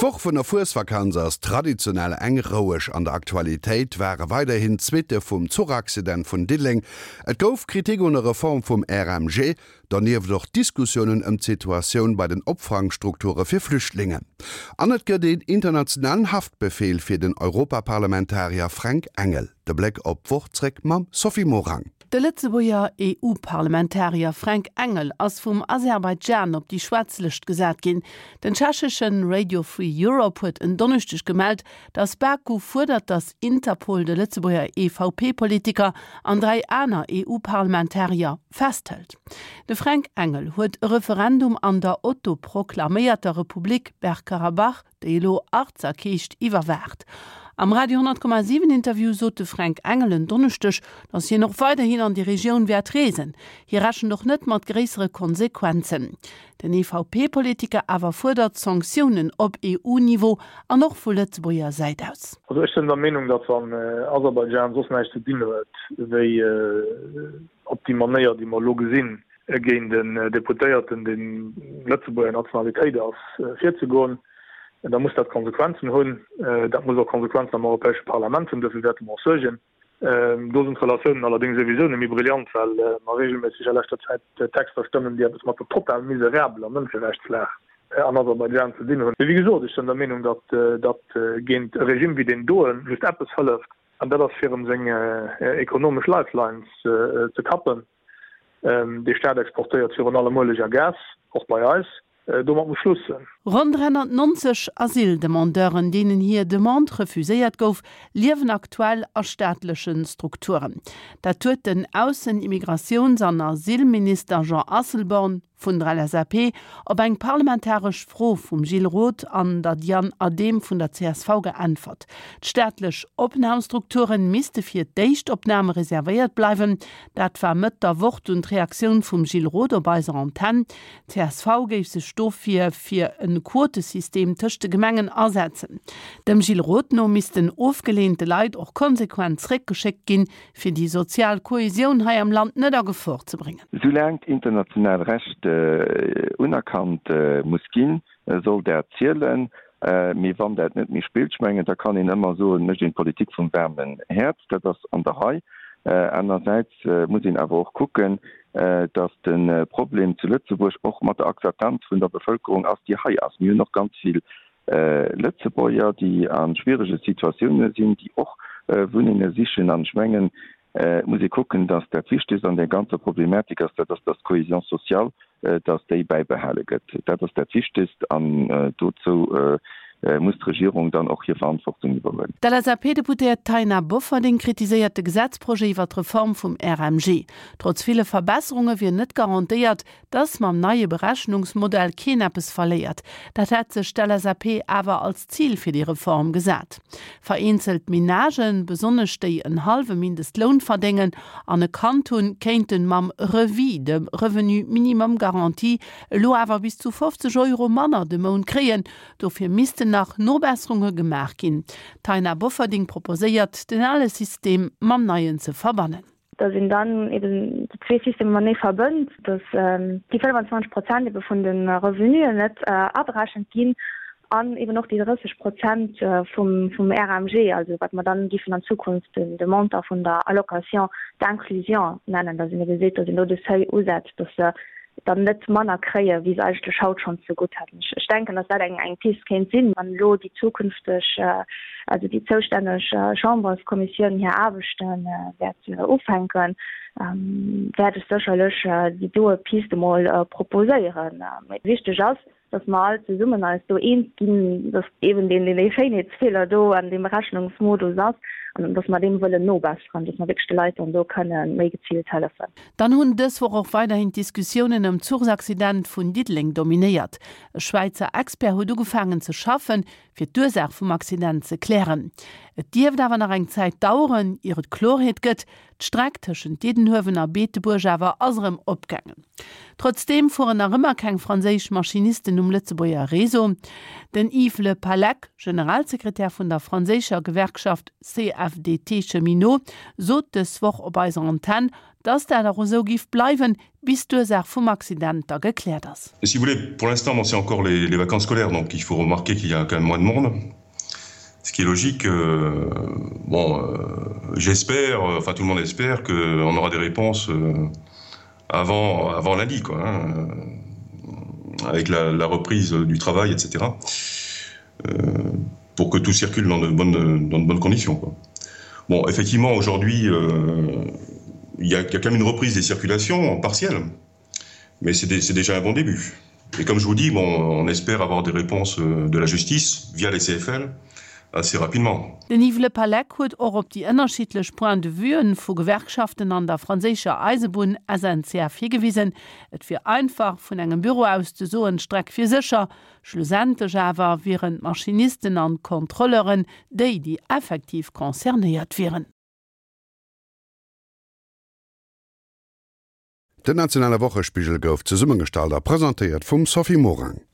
D'Woch vun der Fuesvakanz ass traditionell eng roueg. An der Aktualitéit ware weiderhin d'Suitte vum Zuchaccident vun Diddeleng, et gouf Kritik un der Reform vum RMG, donieft och Diskussiounen ëm d'Situatioun bei den Opfangstrukture fir Flüchtlingen. An et gëtt een internationalen Haftbefeel fir den Europaparlamentarier Fränk Engel. De Bléck op d'Woch zréck mam Sophie Morang. De Lëtzebuerger EU-Parlamentarier Fränk Engel ass vum Aserbaidschan op déi schwaarz Lëscht gesat ginn. Den tschechesche Radio Free Europe huet en Donneschdeg gemellt, datt Baku fuerdert, datt Interpol de Lëtzebuerger EVP-Politiker an 3 aner EU-Parlamentarier festhëlt. De Fränk Engel huet e Referendum an der autoproklaméierter Republik Bergkarabach déi elo Artsakh heescht, iwwerwaacht. Am Radio 10,7 Interview sot de Fränk Engel en Donneschdeg, datt hien och weiderhin an déi Regioun wäert reesen. Hie rechent och net mat gréissere Konsequenzen. Den EVP-Politiker awer fuerdert Sanktiounen op EU-Niveau an och vu Lëtzebuerger Säit aus. Also ech sënn der Meenung, datt wann Aserbaidschan soss näischt ze dinn huet wéi op déi Manéier déi mer elo gesinn, géint en Deputéierten, dee Lëtzebuerger Nationalitéit ass, virzegoen, da muss dat Konsequenzen hunn. Dat muss och Konsequenzen am Europäesche Parlament hunn. Dofir wäerte mer och suergen. Do sinn d'Relatiounen allerdéngs souwisou net méi brillant, well mer reegelméisseg a leschter Zäit Texter stëmmen, déi eppes mat der total miserabeler Mënscherechtslag an Aserbaidschan ze dinn hunn. Mee wéi gesot, ech sinn der Meenung, datt datt géint e Regime wéi deen doen just eppes hëlleft, an dat ass fir em seng ekonomesch Lifelines ze kappen. Dee Staat exportéiert virun allem Ueleg a Gas, och bei eis. Domat muss Schluss sënn. Ronn 390 Asyldemandeuren, deenen hir Demande refuséiert gouf, liewen aktuell a staatleche Strukturen. Dat huet den Aussen-, Immigratiouns an Asylminister Jean Asselborn vun der LSAP op eng parlamentaresch Fro vum Gilles Roth an der Diane Adehm vun der csv geäntwert. D'staatlech Opnamstrukture misste fir d'Éischtopname reservéiert bleiwen. Dat war Mëtt der Woch dunn d'Reaktioun vum Gilles Roth op eiser Antenn. D'CSV géif sech dofir fir e Quotesystem tëscht de Gemengen asetzen. Dem Gilles Roth no missten ofgeleente Leit och konsequent zréckgeschéckt ginn, fir déi sozial Kohesioun hei am Land net a Gefor ze bréngen. Soulaang d'international Recht unerkannt muss ginn, soll dat zielen. Mee wann dat net méi spillt, ech mengen, da kann een ëmmer soen, mécht een d'Politik vum waarmen Häerz. Dat ass an der Rei. Anersäits muss een awer och kucken, datt de Problem zu Lëtzebuerg och mat der Akzeptanz vun der Bevëlkerung ass, déi hei ass. Mir hunn och ganz vill Lëtzebuerger, déi a schwierege Situatioune sinn, déi och Wunnenge sichen. An ech mengen, et muss ee kucken, datt dat Wichtegst an där ganzer Problematik ass, dat ass, datt d'Cohésion sociale, datt déi bäibehale gëtt. Dat ass dat Wichtegst an dozou muss d'Regierung dann och hir Verantwortung iwwerhuelen. D'LSAP-Deputéiert Taina Bofferding kritiséiert de Gesetzprojet iwwer d'Reform vum RMG. Trotz ville Verbesserunge wier net garantéiert, Dass mam neie Berechnungsmodell keen eppes verléiert, dat hätt sech d'LSAP awer als Zil fir déi Reform gesat. Vereenzelt Menagen, besonnesch déi en hallwe Mindestloun verdéngen an e Kand hunn, kéinten mam REVIS, dem Revenu minimum garanti, elo awer bis zu 50 Euro manner de Mount kréien. Dofir missten nach Nobesserunge gemaach ginn. D'Taina Bofferding proposéiert, den ale System mam neien ze verbannen. dass een dann eben déi zwee Systemer matenee verbënnt, dass déi 25 Prozent ebe vun de Revenuen net aberechent ginn an eben och déi 30 Prozent vum vum RMG, also wat mer dann géifen an Zukunft den de Montant vun der Allocation d'inclusion nennen, dass een ebe seet, dass een do de Seuil usetzt, dass se dann net manner kréie wéi se eigentlech haut schonn zegutt hätten. Ech denken, dass dat eng eng Pist kéint sinn, wann elo déi zukünfteg, also déi zoustänneg Chamberskommissioun hir Aarbechte wäert ufänken, wäert ech sécherlech déi doe Pist emol proposéieren. Mee wichteg ass, dass mer all zesummen eis do eens ginn, dass eben deen deen Schéinheetsfeeler do an deem Berechnungsmodus ass an dass mer deem wëllen nobesseren, dass mer wierklech de Leit dann do kënne méi geziilt hëllefen. Dann hunn dës Woch och weiderhin d'Diskussiounen ëm d'Zuchsaccident vun Diddeleng dominéiert. E Schwäizer Expert huet ugefaangen ze schaffen, fir d'Ursaach vum Accident ze klären. Et dierft awer nach eng Zäit daueren, ier et Klorheet gëtt. D'Streck tëschent Diddenhuewen a Beetebuerg awer ass erëm opgaangen. Trotzdeem fueren nach ëmmer keng franséisch Maschinisten um Lëtzebuerger Réseau. Den Yves Le Pallec, Generalsekretär vun der franséischer Gewerkschaft CFDT Cheminots, sot dës Woch op eiser Antenn, Dass dat och esou giff bleiwen, bis d'Ursaach vum Accident da gekläert ass. Si vous voulez, pour l'instant, bon, c'est encore les, les vacances scolaires, donc il faut remarquer qu'il y a quand même moins de monde, ce qui est logique. Euh, bon, euh, j'espère, enfin tout le monde espère qu'on aura des réponses euh, avant, avant lundi, quoi, hein, avec la, la reprise du travail, etc. Euh, pour que tout circule dans de bonnes, dans de bonnes conditions. Quoi. Bon, effectivement, aujourd'hui, euh, il y, a, y a quand même une reprise des circulations partielle, mais c'est déjà un bon début. Et comme je vous dis, bon, on espère avoir des réponses euh, de la justice via les CFL assez rapidement. Den Yves Le Pallec huet och op déi ënnerschiddlech Point de vuen vu Gewerkschaften an der franséischer Eisebunn SNCF higewisen. Et wier einfach, vun engem Büro aus ze soen, d'Streck wier sécher. Schlussendlech awer wieren d'Maschinisten an d'Kontrolleuren déi, déi effektiv concernéiert wieren. Den nationale Wochespigel gouf zesummegestallt a presentéiert vum Sophie Morang.